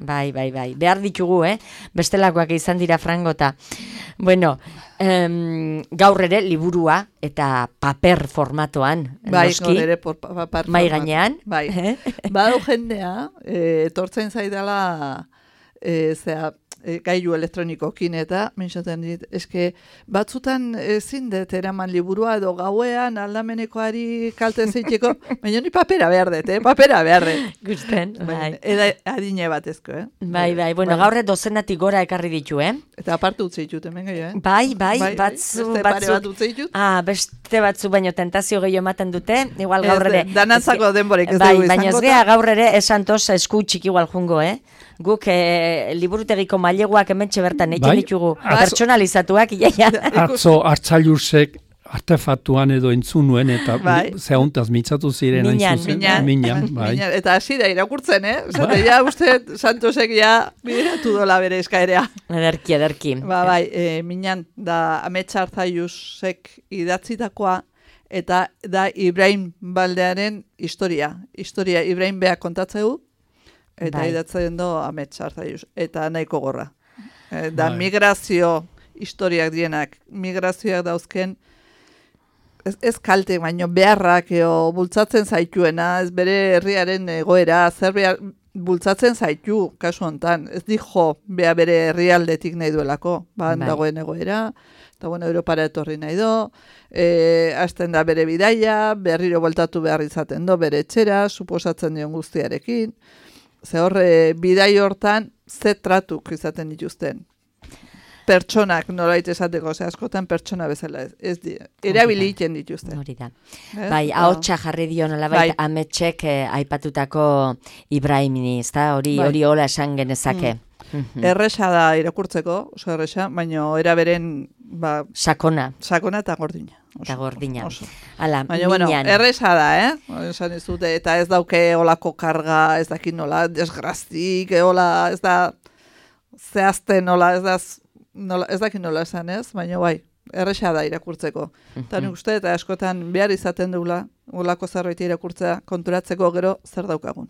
bai. Behar ditugu, bestelakoak izan dira frangota. Bueno, gaur ere liburua eta paper formatoan, bai, noski, ere paper mai gainean. Bai, badu jendea, etortzen zaidala, gailu elektronikokin eta, mentsaten dit, eske batzutan ezin dut eraman liburua edo gauean aldamenekoari kalte zeiteko, baina ni papera behar dut, papera behar dut. Gusten, bai. Eda adine batezko, Bai, bueno, gaur dozenatik gora ekarri ditu, Eta aparte utzi ditut, hemen gehiago, Bai, beste pare bat utzi ditut. Beste batzu baino tentazio gehiago ematen dute, igual gaur ere. Danantzako denborek ez bai, dugu izango. Baina ez gea gaur ere esantoz esku txiki igual jungo, Guk liburutegiko maileguak hementxe bertan egin ditugu pertsonalizatuak, iaia. Atzo hartzailusek artefaktuan edo entzunuen eta zehuntaz mintzatu ziren minan, bai. Eta hasi da irakurtzen, Zate, ja, uste, Santosek ja bideratu dola bere eskaerea. Ederki. Bai, minan, da Amets Arzailusek idatzitakoa, eta da Ibrahim Baldearen historia. Historia Ibrahim beak kontatzeu, eta idatzen do Amets Arzaius, eta nahiko gorra. Da migrazio historiak dienak, migrazioak dauzken, ez kalte, baino beharrak bultzatzen zaituena, ez bere herriaren egoera, zer behar bultzatzen zaitu, kasu hontan, ez dijo bere herrialdetik nahi duelako, dagoen egoera, eta bueno, Europara etorri nahi do, hasten da bere bidaia, berriro voltatu behar izaten do, bere etxera, suposatzen dion guztiarekin, ze horre bidai hortan ze tratuk izaten dituzten. Pertsonak nolait esateko, ze askotan pertsona bezala ez erabili egiten dituzten. Hori da. Bai, ahotsa jarri dio nolabait Ametsek aipatutako Ibrahimini, ezta? Hori hola esan genezake. Erresa da irakurtzeko, oso erresa, baina eraberen sakona eta gordina. Eta gordina. Hala, baina, bueno, erresa da, esan ez dute, eta ez dauke olako karga, ez dakit nola, desgraztik, hola, ez da, zehazten nola, ez dakit nola esan ez, baina bai, erresa da irakurtzeko. Eta nik uste, eta askotan behar izaten dugula, olako zerbait irakurtzea, konturatzeko gero zer daukagun.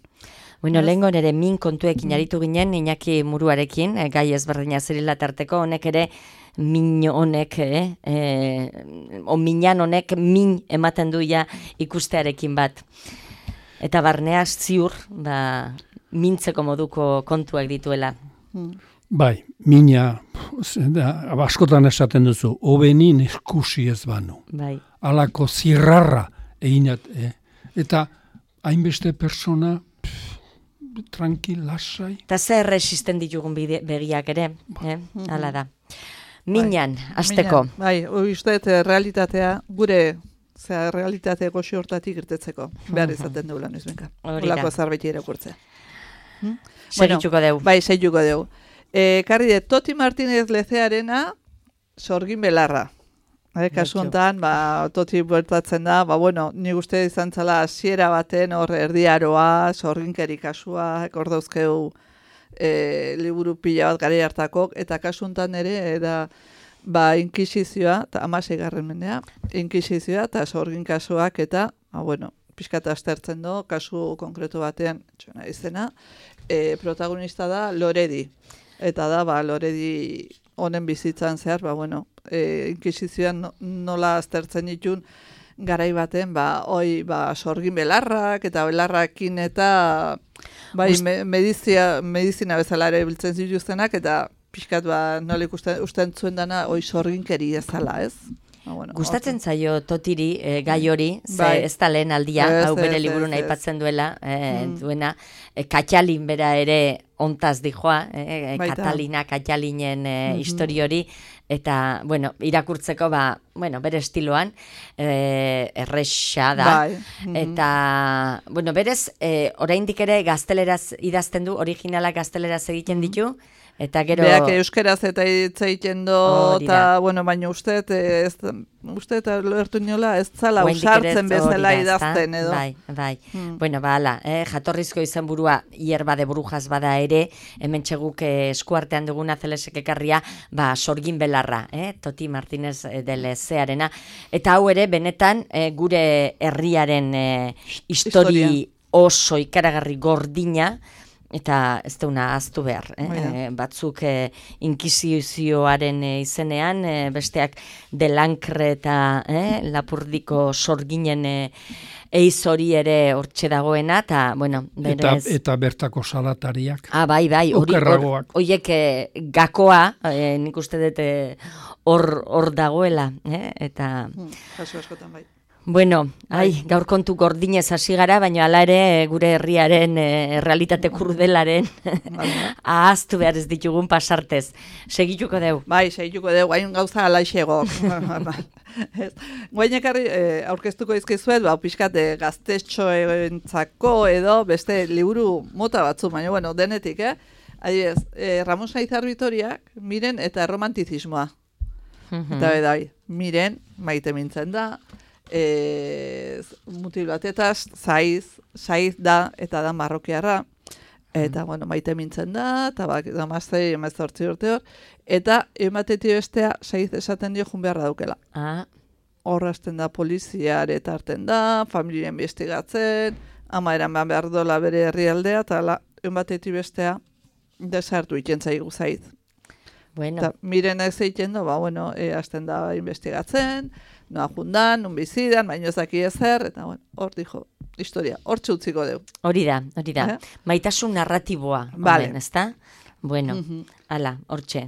Bueno, lehenko nire min kontuekin aritu ginen, Iñaki Muruarekin, gai ezberdina zirela tarteko, honek ere, min honek, minan honek min ematen duia ikustearekin bat. Eta barnea ziur, mintzeko moduko kontuak dituela. Bai, mina, askotan esaten duzu, hobenin eskusi ez banu. Bai. Alako zirrarra eginat, eta hainbeste persona tranquil, lasai. Eta zer resisten ditugun begiak ere, hala da. Minan, azteko. Bai, uste, realitatea, gure realitate goxi hortatik irtetzeko. Behar izaten dugula nizbenka. Olako zarbeti irakurtzea. Segituko deu. Bai, segituko deu. Karri de Toti Martínez Lezearena, sorgin belarra. Kasu honetan, toti bueltatzen da, bueno, nik uste izan zela hasiera baten hor erdiaroa, sorginkeri kasua, hor dauzkeu liburu pila bat gari hartako, eta kasu honetan ere, inkisizioa, eta 16. mendea, inkisizioa eta sorgin kasuak, eta, bueno, pixkata aztertzen do, kasu konkretu batean, txona izena, protagonista da Loredi, eta da, Loredi honen bizitzan zehar, bueno, inkisizioan nola aztertzen ditun garai baten, sorgin belarrak, eta belarrakin eta medizina bezala ere biltzen zituztenak, eta pixkat nola usten zuen dana sorginkeri ezala, ez? Gustatzen zaio Totiri gai hori, ez da lehen aldia, hau bere liburun aipatzen duela, duena, Katxalin bera ere ontaz dijoa, Katalina Katxalinen histori hori, eta, bueno, irakurtzeko, bere estiloan, erresa da, eta, bueno, berez, oraindik ere gazteleraz idazten du, originalak gazteleraz egiten ditu, eta gero... Beak euskeraz eta egiten do, eta, bueno, baina uste eta lertu inola, ez zala usartzen bezala idazten edo. Bai. Bueno, ala, jatorrizko izen burua hierba de brujas bada ere, hemen txeguk eskuartean duguna Zelesek ekarria, sorgin belarra, Toti Martínez de Lezearena, eta hau ere, benetan, gure herriaren histori oso ikaragarri gordina, eta ez deuna ahaztu behar. Batzuk inkisizioaren izenean, besteak Delankre eta Lapurdiko sorginen eiz hori ere hortxe dagoena, eta, bueno, berez... Eta bertako salatariak. Bai, horiek gakoa, nik uste dut hor dagoela, eta... Kasu askotan bai. Bueno, gaur kontu gordinez hasi gara, baina hala ere gure herriaren realitate kurdelaren ahaztu behar ez ditugun pasartez. Segituko deu? Bai, segituko deu, hain gauza alaixegok. Guain ekarri aurkeztuko izkizuet, pixkat gaztetxoentzako edo beste liburu mota batzu, baina bueno, denetik, Adibidez, Ramon Saizar Bitoriak, Miren eta erromantizismoa. Eta bedai, Miren, maite mintzen da, mutil batetaz, Saiz da, eta da marrokiarra, eta, bueno, maite mintzen da, eta damaztei emezortzi urte hor, eta ematetik bestea Saiz esaten dio jun beharra daukela. Horrazten da poliziare tarten da, familia investigatzen, ama eran behar dola bere herrialdea, eta ematetik bestea desartu iten zaigu Saiz. Bueno. Miren ez egiten do, bueno, hasten da investigatzen, noa jundan, nun bizidan, baino ezaki ezer, eta bueno, hor dijo, historia, hor txutziko deu. Hori da. Maitasun narratiboa, omen, ezta? Bueno, ala, hortxe,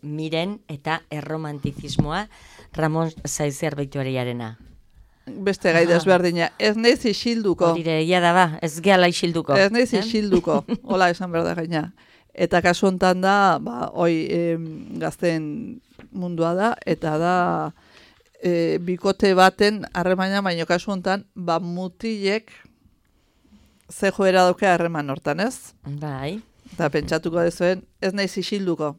Miren eta erromantizismoa Ramon Saizar Bitoriarena. Beste gai desberdina, ez neiz isilduko. Horire, ia da ba, ez gehala isilduko. Ez neiz isilduko, hola esan behar da gaina. Eta kasu honetan da, gazten mundua da, eta da bikote baten harremana, baino kasu honetan, mutilek ze joera dauke harreman hortan, ez? Bai. Eta pentsatuko dezuen, ez naiz isilduko.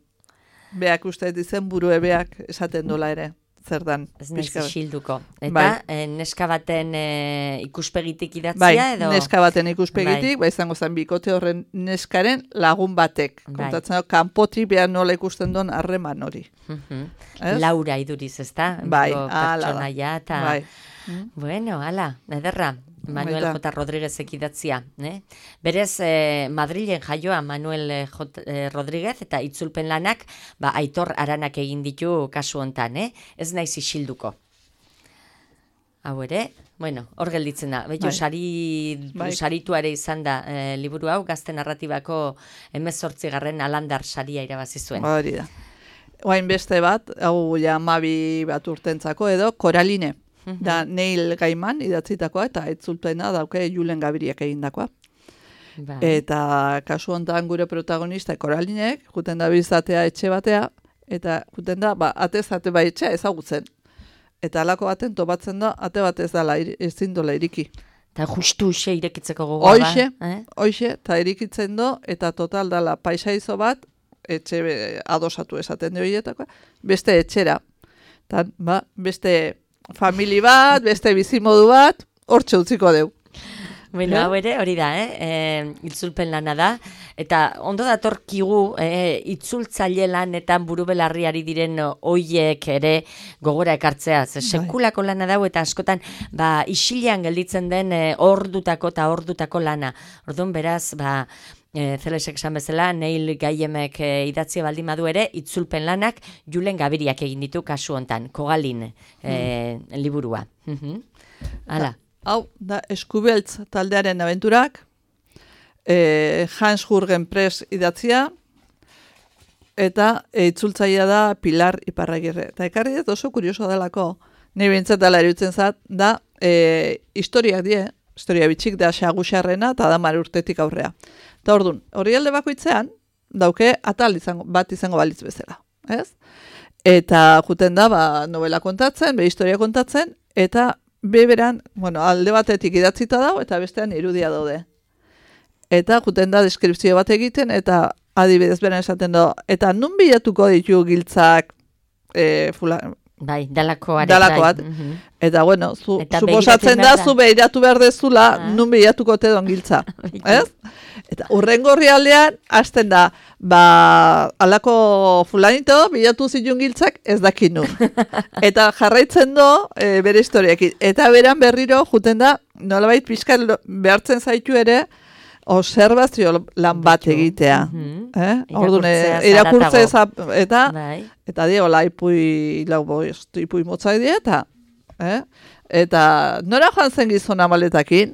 Beak uste dizen burue beak esaten dola ere. Zer dan. Ez naiz isilduko. Eta neska baten ikuspegitik idatzia edo? Bai, neska baten ikuspegitik, izango zen bikote horren neskaren lagun batek. Kontatzen dago, kanpotik behar nola ikusten duen harreman hori. Laura iduriz, ezta? Bai, pertsonaia eta... Bueno, ala, ederra. Manuel J. Rodríguezek idatzia. Berez, Madrilen jaioa Manuel J. Rodríguez eta itzulpen lanak Aitor Aranak egin ditu kasu hontan, ez naiz isilduko. Hau ere, bueno, hor gelditzen da. Beto, sarituare izan da liburu hau, gazte narratibako 18. Alandar saria irabazi zuen. Hori da. Oain beste bat, hau ja 12 bat urtentzako edo, Koraline. Da Neil Gaiman idatzitakoa eta itzulpena dauke Julen Gabiriak egindakoa. Eta kasu honetan gure protagonista Koralinek, juten da bizatea etxe batea, eta juten da, atez-ate bai etxea ezagutzen. Eta alako baten topatzen da, ate bat ez dala, ezin dola iriki. Eta justu uxe irekitzeko gogoa. Hoxe, eta irikitzen do, eta total dala paisaizo bat, etxe adosatu esaten de horietakoa, beste etxera. Tan, beste famili bat, beste bizimodu bat, hortxe utziko deu. Bueno, hau ere, hori da, itzulpen lana da, eta ondo datorkigu itzultzaile lanetan buru belarriari diren oiek ere gogora ekartzea, sekulako lana dau eta askotan isilean gelditzen den ordutako lana. Orduan beraz, Zelesek esan bezala, Neil Gaiemek idatzia baldin badu ere, itzulpen lanak Julen Gabiriak egin ditu kasu hontan, Kogalin liburua. Hala. Hau, da Eskubeltz taldearen abenturak, Hans Jürgen Press idatzia, eta itzultzailea da Pilar Iparragirre. Eta ekarri dut oso kurioso delako, nahi bintzat dela eruditzen zat, da historiak die, historia bitxik da Xagusarrena eta da 10 urtetik aurrea. Eta orduan, hori alde bakoitzean, dauke atal bat izango balitz bezala. Ez? Eta juten da, novela kontatzen, historia kontatzen, eta beberan, alde batetik idatzita dago, eta bestean irudia daude. Eta juten da deskripzio bat egiten, eta adibidez beren esaten da, eta nun bilatuko ditu giltzak Bai, dalakoat. Eta suposatzen da, zu behiratu behar dezula, nun bilatuko te don giltza. Ez? Eta urrengo herrialdean, hasten da, alako fulanito, bilatu zituen giltzak, ez dakit nun. Eta jarraitzen do, bere historiakin. Eta beran berriro, juten da, nolabait pixka behartzen zaitu ere, observazio lan bat egitea. Orduan, irakurtze eta diola ipui motzai dieta. Eta nora joan zen gizona maletakin,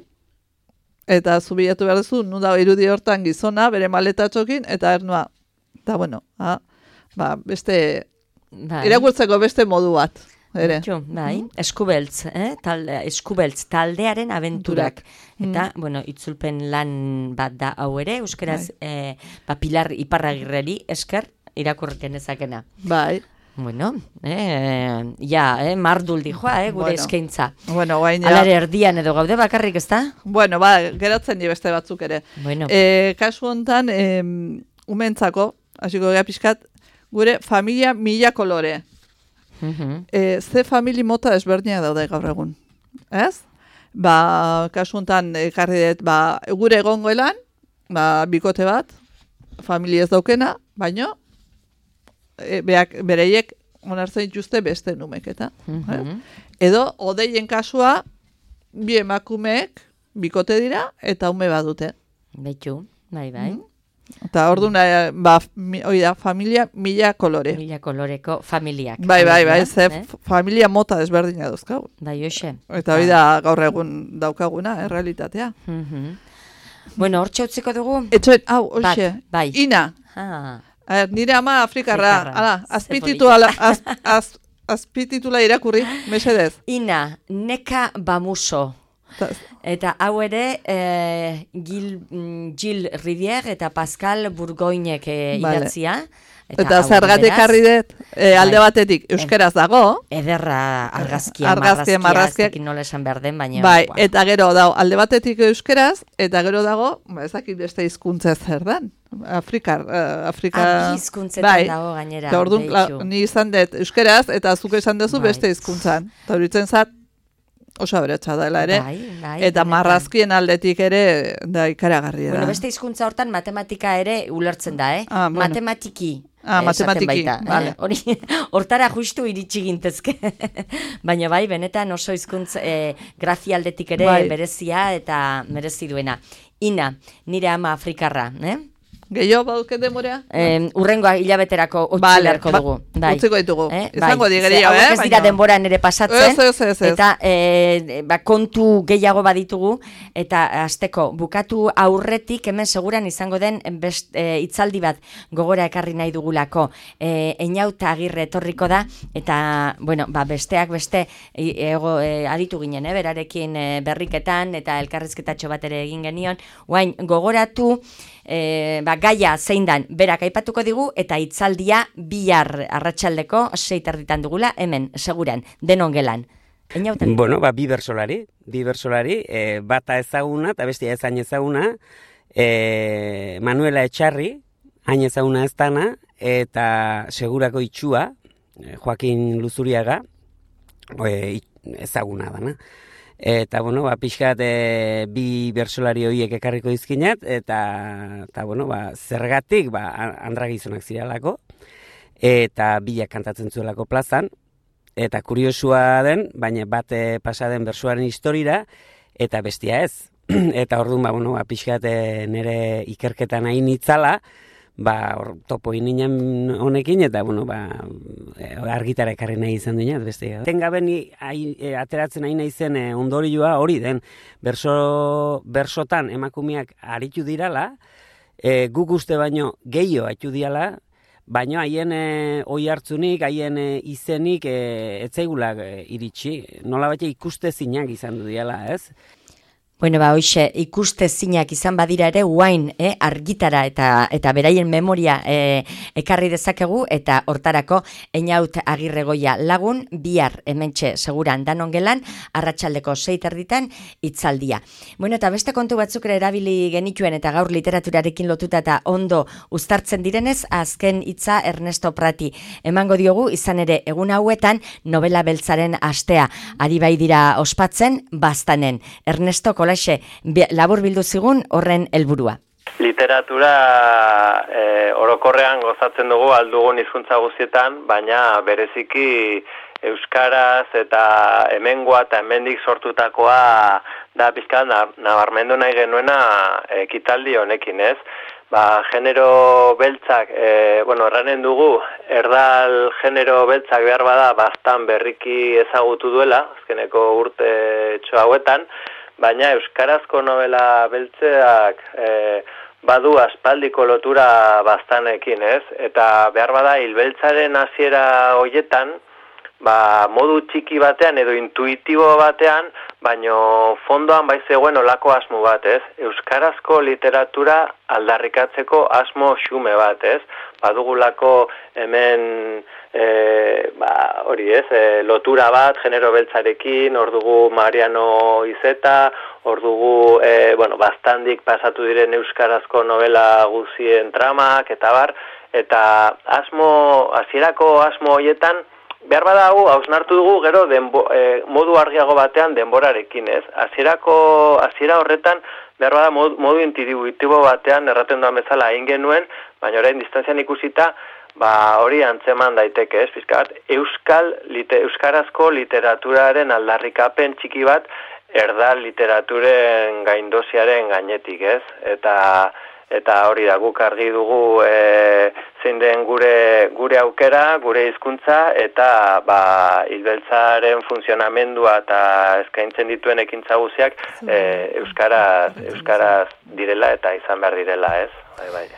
eta zubilatu behar duzu, nun dago irudi hortan gizona, bere maletatxokin, eta ernua. Eta beste, irakurtzeko beste modu bat. Eskubeltz, Eskubeltz taldearen abenturak. Eta, itzulpen lan bat da hau ere, euskeraz Pilar Iparragirreri esker irakurken ezakena. Bai. Mardul dijoa, gure eskaintza. Guain Alare erdian edo gaude bakarrik, ez da? Geratzen di beste batzuk ere. Kasu hontan, umentzako, hasiko gea pixkat, gure familia 1000 kolore. Ze famili mota desberdinak daude gaur egun. Ez? Kasu honetan ekarri dut, gure egongoelan, bikote bat, familia ez daukena, baino, bereiek onartzen dituzte beste numeketa. Edo, odeien kasua, bi emakumeek bikote dira, eta ume bat dute. Betu, bai. Eta orduan, familia 1000 kolore. 1000 koloreko familiak. Bai, familia mota desberdina duzkagu. Bai, hoxe. Eta hori da gaur egun daukaguna, realitatea. Hortxe utziko dugu? Etxoen, hoxe, Ina. Nire ama Afrikarra. Azpititula irakurri, mesedez. Ina, Neka Bamuso. Eta hau ere Gil Rivière eta Pascal Bourgoinek idatzia. Eta zergatik harri dut, alde batetik euskeraz dago. Ederra argazkia, marrazkiak nola esan behar den, baina... Bai, eta gero dago, alde batetik euskeraz, eta gero dago, ezakit beste hizkuntza zer den. Afrika... Hizkuntzetan dago gainera. Eta orduan, ni izan dut euskeraz, eta zuk esan duzu beste hizkuntzan. Eta horitzen zat, oso aberatsa dela ere, eta marrazkien aldetik ere da ikaragarria da. Beste hizkuntza hortan matematika ere ulertzen da, Matematiki. Matematiki, bale. Hortara justu iritsi gintezke. Baina benetan oso hizkuntza grafia aldetik ere berezia eta merezi duena. Ina, nire ama Afrikarra, Gehiago baduket demorea? Urrengoa hilabeterako utzilarko dugu. Utziko ditugu. Izango digerio, ez dira denbora nere pasatzen. Ez. Eta kontu gehiago baditugu. Eta azteko, bukatu aurretik, hemen seguran izango den hitzaldi bat gogora ekarri nahi dugulako. Einauta Agirre etorriko da. Eta, besteak beste aditu ginen, berarekin berriketan eta elkarrizketatxo bat ere egin genion. Guain, gogoratu... gaia zein dan berak aipatuko digu eta hitzaldia bihar arratsaldeko 6:00 dugula hemen seguran denon gelan. Bi bersolari, bata ezaguna eta bestia ezain ezaguna, Manuela Etxarri, hain ezaguna ez dana, eta segurako itxua, Joakin Luzuriaga, ezaguna dana. Eta, pixkat bi bertsolari horiek ekarriko dizkinat, eta zergatik, andra gizonak ziralako, eta bilak kantatzen zuelako plazan, eta kuriosua den, baina bat pasaden bertsoaren historira, eta bestia ez. Eta orduan, pixkat nire ikerketan hain itzala, topo ininen honekin, eta, argitara ekarri nahi izan duena, beste. Tengaben ateratzen nahi nahi zen ondorioa hori den, bersotan emakumeak aritu dirala, guk uste baino gehiago aritu dirala, baina haien oi hartzunik, haien izenik etzaigulak iritsi. Nola baita ikustezinak izan du diala, ez? Bueno, hoxe, ikustezinak izan badira ere, guain argitara eta beraien memoria ekarri dezakegu, eta hortarako Einaut Agirregoia lagun, bihar hementxe seguran danon gelan, arratsaldeko 6:00 hitzaldia. Bueno, eta beste kontu batzuk ere erabili genituen, eta gaur literaturarekin lotuta eta ondo uztartzen direnez, azken hitza Ernesto Prati emango diogu, izan ere egun hauetan novela beltzaren astea ari bai dira ospatzen, Baztanen. Ernesto, kolaxe, labur bildu zigun horren helburua. Literatura orokorrean gozatzen dugu aldugun hizkuntza guztietan, baina bereziki euskaraz eta hemengoa eta hemendik sortutakoa da pizkat nabarmendu nahi genuena ekitaldi honekin, ez? Genero beltzak, erranen dugu, erdal genero beltzak behar bada Baztan berriki ezagutu duela, azkeneko urte hauetan, baina euskarazko novela beltzeak badu aspaldiko lotura Baztanekin, ez? Eta behar bada hilbeltzaren hasiera hoietan, modu txiki batean edo intuitibo batean, baino fondoan bai zegoen olako asmo bat, ez? Euskarazko literatura aldarrikatzeko asmo xume bat, ez? Badugulako hemen hori, ez? Lotura bat genero beltzarekin, hor dugu Mariano Izeta, hor dugu Baztandik pasatu diren euskarazko novela guzien tramak eta bar, eta hasierako asmo hoietan behar badago, hausnartu dugu gero modu argiago batean denborarekin, ez? Hasiera horretan, behar bada modu intuitibo batean erraten duan bezala egin genuen, baina orain distantzian ikusita, hori antzeman daiteke, ez? Pizkat, euskarazko literaturaren aldarrikapen txiki bat, erdal literaturen gaindosiaren gainetik, ez? Eta hori da, guk argi dugu zein den gure aukera, gure hizkuntza, eta hilbeltzaren funtzionamendua eta eskaintzen dituen ekintza guztiak euskaraz direla eta izan behar direla, ez? Bai.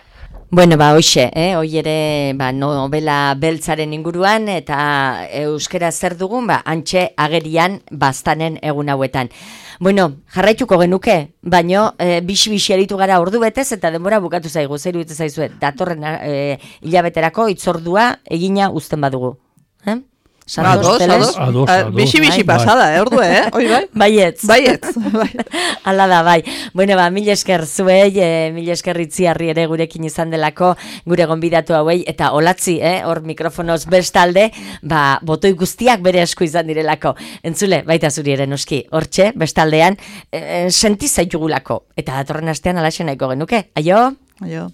Bueno, hoxe, hoi ere novela beltzaren inguruan eta euskera zer dugun, antxe agerian Baztanen egun hauetan. Bueno, jarraituko genuke, baino bixi aritu gara ordu betez eta denbora bukatu zaigu, zer iruditzen zaizue, datorren hilabeterako hitzordua egina uzten badugu. Ados. Bixi pasada, ordu, Hoi bai? Baietz. Hala da, bai. Bueno, mil esker zuei, mil esker Itziarri ere gurekin izan delako, gure gonbidatu hauei, eta olatzi, hor mikrofonoz bestalde, botoi guztiak bere esku izan direlako. Entzule, baita zuri ere noski, hortxe, bestaldean, sentiz zaitugulako. Eta datorren astean alaxe nahiko genuke. Aio? Aio.